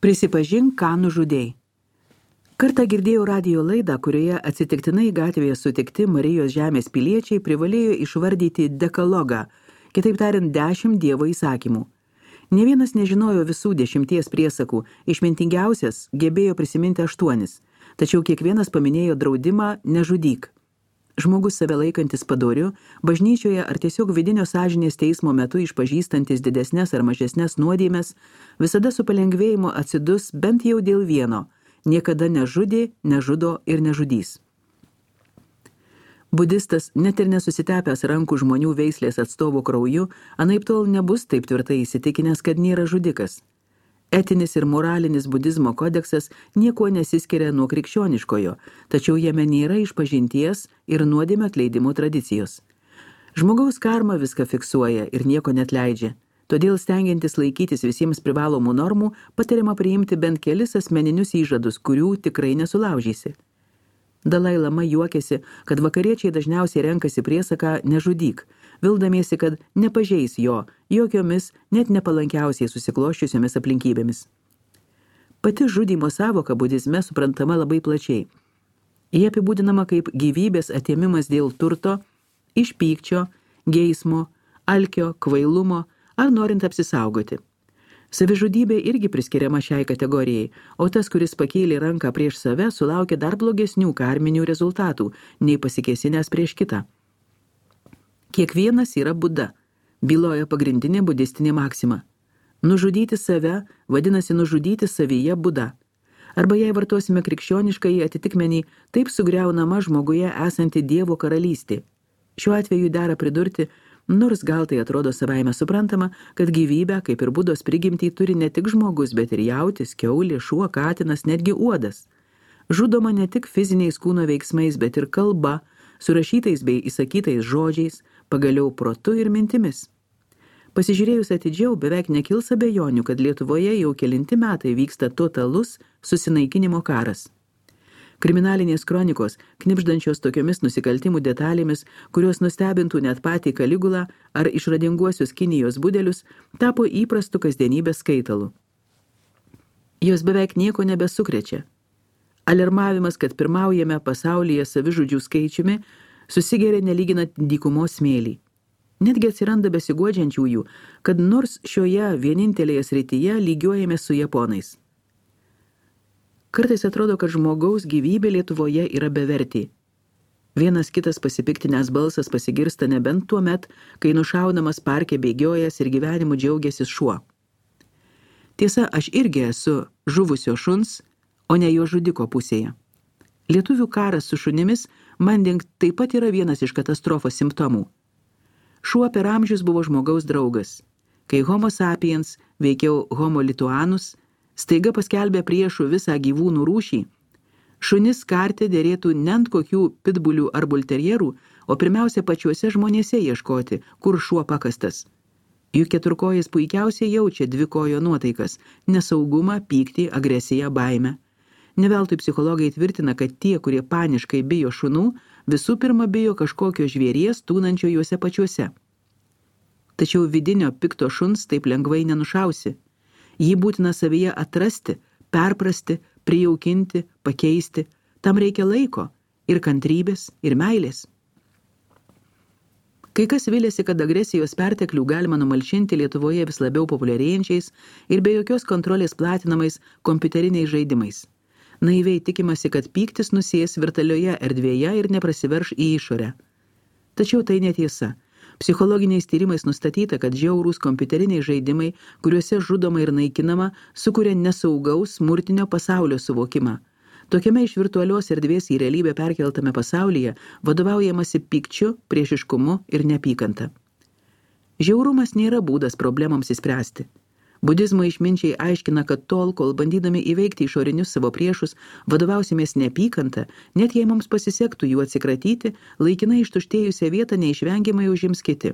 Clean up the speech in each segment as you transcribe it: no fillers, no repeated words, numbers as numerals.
Prisipažink, ką nužudei. Kartą girdėjau radijo laidą, kurioje atsitiktinai gatvėje sutikti Marijos žemės piliečiai privalėjo išvardyti dekalogą, kitaip tariant 10 Dievo įsakymų. Ne vienas nežinojo visų 10 priesakų, išmintingiausias gebėjo prisiminti 8, tačiau kiekvienas paminėjo draudimą nežudyk. Žmogus save laikantis padoriu, bažnyčioje ar tiesiog vidinio sąžinės teismo metu išpažįstantis didesnes ar mažesnes nuodėmes, visada su palengvėjimu atsidus bent jau dėl vieno – niekada nežudė, nežudo ir nežudys. Budistas, net ir nesusitepęs rankų žmonių veislės atstovų krauju, anaiptol nebus taip tvirtai įsitikinęs, kad nėra žudikas. Etinis ir moralinis budizmo kodeksas niekuo nesiskiria nuo krikščioniškojo, tačiau jame nėra išpažinties ir nuodėmio atleidimo tradicijos. Žmogaus karma viską fiksuoja ir nieko netleidžia, todėl stengiantis laikytis visiems privalomų normų, patariama priimti bent kelis asmeninius įžadus, kurių tikrai nesulaužysi. Dalai Lama juokiasi, kad vakariečiai dažniausiai renkasi priesaką nežudyk, vildamiesi, kad nepažeis jo jokiomis, net nepalankiausiai susikloščiusiomis aplinkybėmis. Pati žudymo sąvoka budizme suprantama labai plačiai. Jie apibūdinama kaip gyvybės atėmimas dėl turto, iš pykčio, geismo, alkio, kvailumo ar norint apsisaugoti. Savižudybė irgi priskiriama šiai kategorijai, o tas, kuris pakėlė ranką prieš save, sulaukė dar blogesnių karminių rezultatų, nei pasikėsinęs prieš kitą. Kiekvienas yra Buda, byloja pagrindinė budistinė maksima. Nužudyti save vadinasi nužudyti savyje Buda. Arba jei vartosime krikščioniškąjį atitikmenį, taip sugriaunama žmoguje esanti Dievo karalystė. Šiuo atveju dera pridurti, nors gal tai atrodo savaime suprantama, kad gyvybę, kaip ir Budos prigimtį, turi ne tik žmogus, bet ir jautis, kiaulė, šuo, katinas, netgi uodas. Žudoma ne tik fiziniais kūno veiksmais, bet ir kalba, surašytais bei įsakytais žodžiais, pagaliau protu ir mintimis. Pasižiūrėjus atidžiau, beveik nekils abejonių, kad Lietuvoje jau kelinti metai vyksta totalus susinaikinimo karas. Kriminalinės kronikos, knibždančios tokiomis nusikaltimų detalėmis, kurios nustebintų net patį Kaligulą ar išradinguosius Kinijos budelius, tapo įprastu kasdienybės skaitalu. Jos beveik nieko nebesukrečia. Alarmavimas, kad pirmaujame pasaulyje savižudžių skaičiumi, susigeria nelyginant dykumos smėlį. Netgi atsiranda besiguodžiančiųjų, kad nors šioje vienintelėje srityje lygiuojame su japonais. Kartais atrodo, kad žmogaus gyvybė Lietuvoje yra bevertė. Vienas kitas pasipiktinęs balsas pasigirsta nebent tuo met, kai nušaunamas parke bėgiojas ir gyvenimu džiaugiasi šuo. Tiesa, aš irgi esu žuvusio šuns, o ne jo žudiko pusėje. Lietuvių karas su šunimis, manding, taip pat yra vienas iš katastrofos simptomų. Šuo per amžius buvo žmogaus draugas. Kai Homo sapiens, veikiau Homo lituanus, staiga paskelbė priešų visą gyvūnų rūšį, šunis kartė dėrėtų ne ant kokių pitbulių ar bulterjerų, o pirmiausia pačiuose žmonėse ieškoti, kur šuo pakastas. Juk keturkojas puikiausiai jaučia dvikojo nuotaikas – nesaugumą, pyktį, agresiją, baimę. Neveltui psichologai tvirtina, kad tie, kurie paniškai bijo šunų, visų pirma bijo kažkokio žvėries tūnančio juose pačiuose. Tačiau vidinio pikto šuns taip lengvai nenušausi. Jį būtina savyje atrasti, perprasti, prijaukinti, pakeisti. Tam reikia laiko ir kantrybės, ir meilės. Kai kas vilėsi, kad agresijos perteklių galima numalšinti Lietuvoje vis labiau populiarėjančiais ir be jokios kontrolės platinamais kompiuteriniais žaidimais. Naiviai tikimasi, kad pyktis nusės virtualioje erdvėje ir neprasiverš į išorę. Tačiau tai netiesa. Psichologiniais tyrimais nustatyta, kad žiaurūs kompiuteriniai žaidimai, kuriuose žudoma ir naikinama, sukuria nesaugaus smurtinio pasaulio suvokimą. Tokiame iš virtualios erdvės į realybę perkeltame pasaulyje vadovaujamasi pykčiu, priešiškumu ir neapykanta. Žiaurumas nėra būdas problemams įspręsti. Budizmo išminčiai aiškina, kad tol, kol bandydami įveikti išorinius savo priešus, vadovausimės neapykanta, net jei mums pasisektų jų atsikratyti, laikinai ištuštėjusią vietą neišvengiamai užims kiti.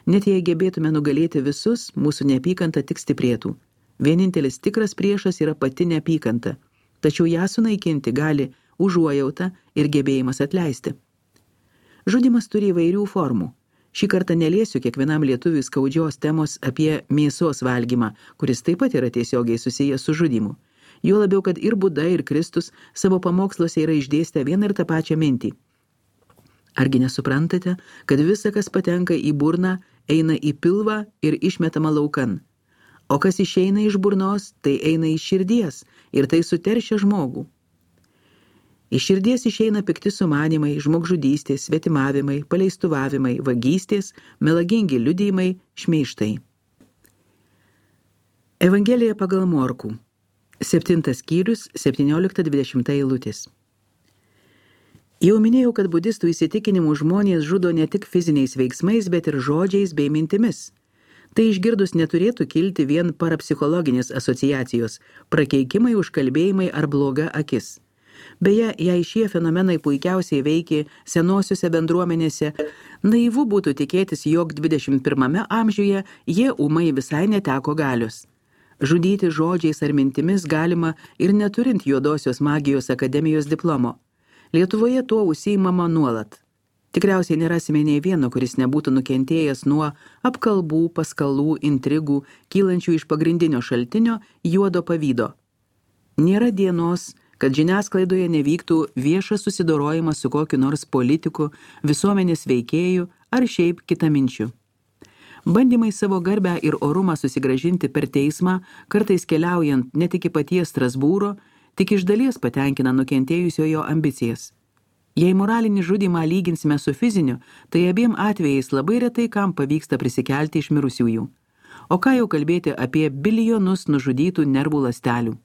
Net jei gebėtume nugalėti visus, mūsų neapykanta tik stiprėtų. Vienintelis tikras priešas yra pati neapykanta, tačiau ją sunaikinti gali užuojauta ir gebėjimas atleisti. Žudymas turi įvairių formų. Šį kartą neliesiu kiekvienam lietuviui skaudžios temos apie mėsos valgymą, kuris taip pat yra tiesiogiai susijęs su žudymu. Jo labiau, kad ir Buda, ir Kristus savo pamoksluose yra išdėstę vieną ir tą pačią mintį. Argi nesuprantate, kad visa, kas patenka į burną, eina į pilvą ir išmetama laukan? O kas išeina iš burnos, tai eina iš širdies ir tai suteršia žmogų. Iš širdies išeina pikti sumanimai, žmogžudystės, svetimavimai, paleistuvavimai, vagystės, melagingi liudijimai, šmeižtai. Evangelija pagal Morkų. 7 skyrius, 17-20 eilutės. Jau minėjau, kad budistų įsitikinimų žmonės žudo ne tik fiziniais veiksmais, bet ir žodžiais bei mintimis. Tai išgirdus neturėtų kilti vien parapsichologinės asociacijos, prakeikimai, užkalbėjimai ar bloga akis. Beje, jei šie fenomenai puikiausiai veikė senosiuose bendruomenėse, naivu būtų tikėtis, jog 21 amžiuje jie ūmai visai neteko galios. Žudyti žodžiais ar mintimis galima ir neturint Juodosios magijos akademijos diplomo. Lietuvoje tuo užsiimama nuolat. Tikriausiai nerasime nei vieno, kuris nebūtų nukentėjęs nuo apkalbų, paskalų, intrigų, kylančių iš pagrindinio šaltinio juodo pavydo. Nėra dienos, kad žiniasklaidoje nevyktų viešas susidorojimas su kokiu nors politiku, visuomenės veikėju ar šiaip kitaminčiu. Bandymai savo garbę ir orumą susigrąžinti per teismą, kartais keliaujant ne tik į paties Strasbūro, tik iš dalies patenkina nukentėjusiojo ambicijas. Jei moralinį žudymą lyginsime su fiziniu, tai abiem atvejais labai retai kam pavyksta prisikelti iš mirusiųjų. O ką jau kalbėti apie bilijonus nužudytų nervų ląstelių.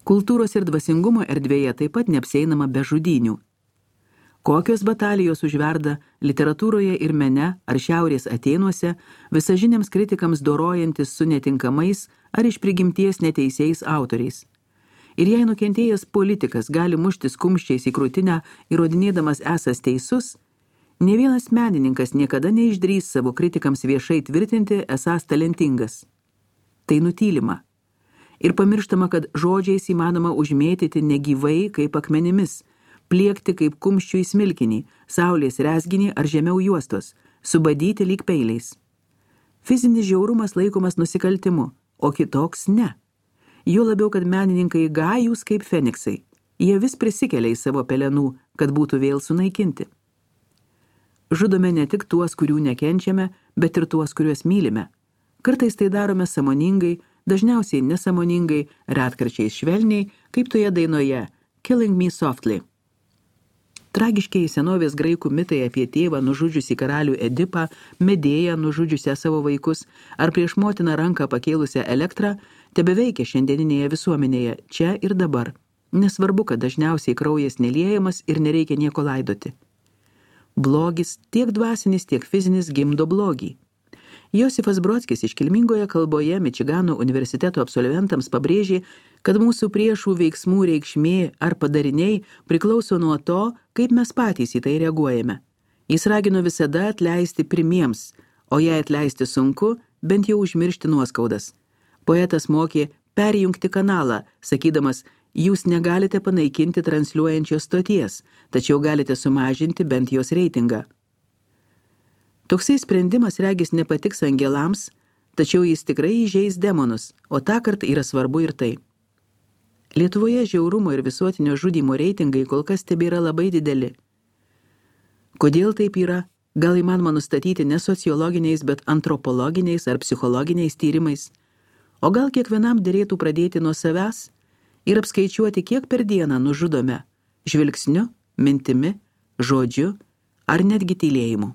Kultūros ir dvasingumo erdvėje taip pat neapsieinama be žudynių. Kokios batalijos užverda literatūroje ir mene ar Šiaurės Atėnuose, visažiniams kritikams dorojantis su netinkamais ar iš prigimties neteisiais autoriais. Ir jei nukentėjęs politikas gali muštis kumščiais į krūtinę, įrodinėdamas esąs teisus, nė vienas menininkas niekada neišdrįs savo kritikams viešai tvirtinti esąs talentingas. Tai nutylima. Ir pamirštama, kad žodžiais įmanoma užmėtyti negyvai kaip akmenimis, pliekti kaip kumščių į smilkinį, saulės rezginį ar žemiau juostos, subadyti lyg peiliais. Fizinis žiaurumas laikomas nusikaltimu, o kitoks ne. Juo labiau, kad menininkai gajūs kaip feniksai. Jie vis prisikelia į savo pelenų, kad būtų vėl sunaikinti. Žudome ne tik tuos, kurių nekenčiame, bet ir tuos, kuriuos mylime. Kartais tai darome sąmoningai, dažniausiai nesąmoningai, retkarčiais švelniai, kaip toje dainoje Killing Me Softly. Tragiškiai senovės graikų mitai apie tėvą nužudžiusį karalių Edipą, Medėją nužudžiusią savo vaikus ar prieš motiną ranką pakėlusią Elektrą tebeveikia šiandieninėje visuomenėje, čia ir dabar. Nesvarbu, kad dažniausiai kraujas neliejamas ir nereikia nieko laidoti. Blogis, tiek dvasinis, tiek fizinis, gimdo blogį. Josifas Brodskis iškilmingoje kalboje Mičigano universiteto absolventams pabrėžė, kad mūsų priešų veiksmų reikšmė ar padariniai priklauso nuo to, kaip mes patys į tai reaguojame. Jis ragino visada atleisti pirmiems, o jei atleisti sunku, bent jau užmiršti nuoskaudas. Poetas mokė perjungti kanalą, sakydamas, jūs negalite panaikinti transliuojančios stoties, tačiau galite sumažinti bent jos reitingą. Toksai sprendimas regis nepatiks angelams, tačiau jis tikrai įžeis demonus, o tąkart yra svarbu ir tai. Lietuvoje žiaurumo ir visuotinio žudymo reitingai kol kas tebėra labai dideli. Kodėl taip yra? Gal įmanoma nustatyti ne sociologiniais, bet antropologiniais ar psichologiniais tyrimais? O gal kiekvienam derėtų pradėti nuo savęs ir apskaičiuoti, kiek per dieną nužudome žvilgsniu, mintimi, žodžiu ar netgi tylėjimu?